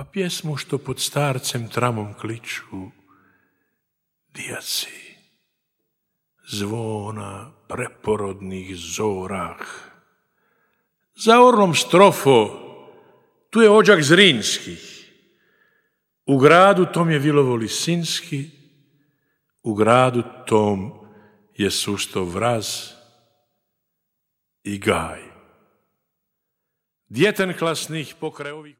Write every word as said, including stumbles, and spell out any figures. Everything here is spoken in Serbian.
pa pjesmu što pod starcem tramom kliču dijaci, zvona preporodnih zorah. Za orlom strofo, tu je ođak Zrinskih, u gradu tom je Vilovo Lisinski, u gradu tom je Susto Vraz i Gaj. Djetenklasnih pokraj ovih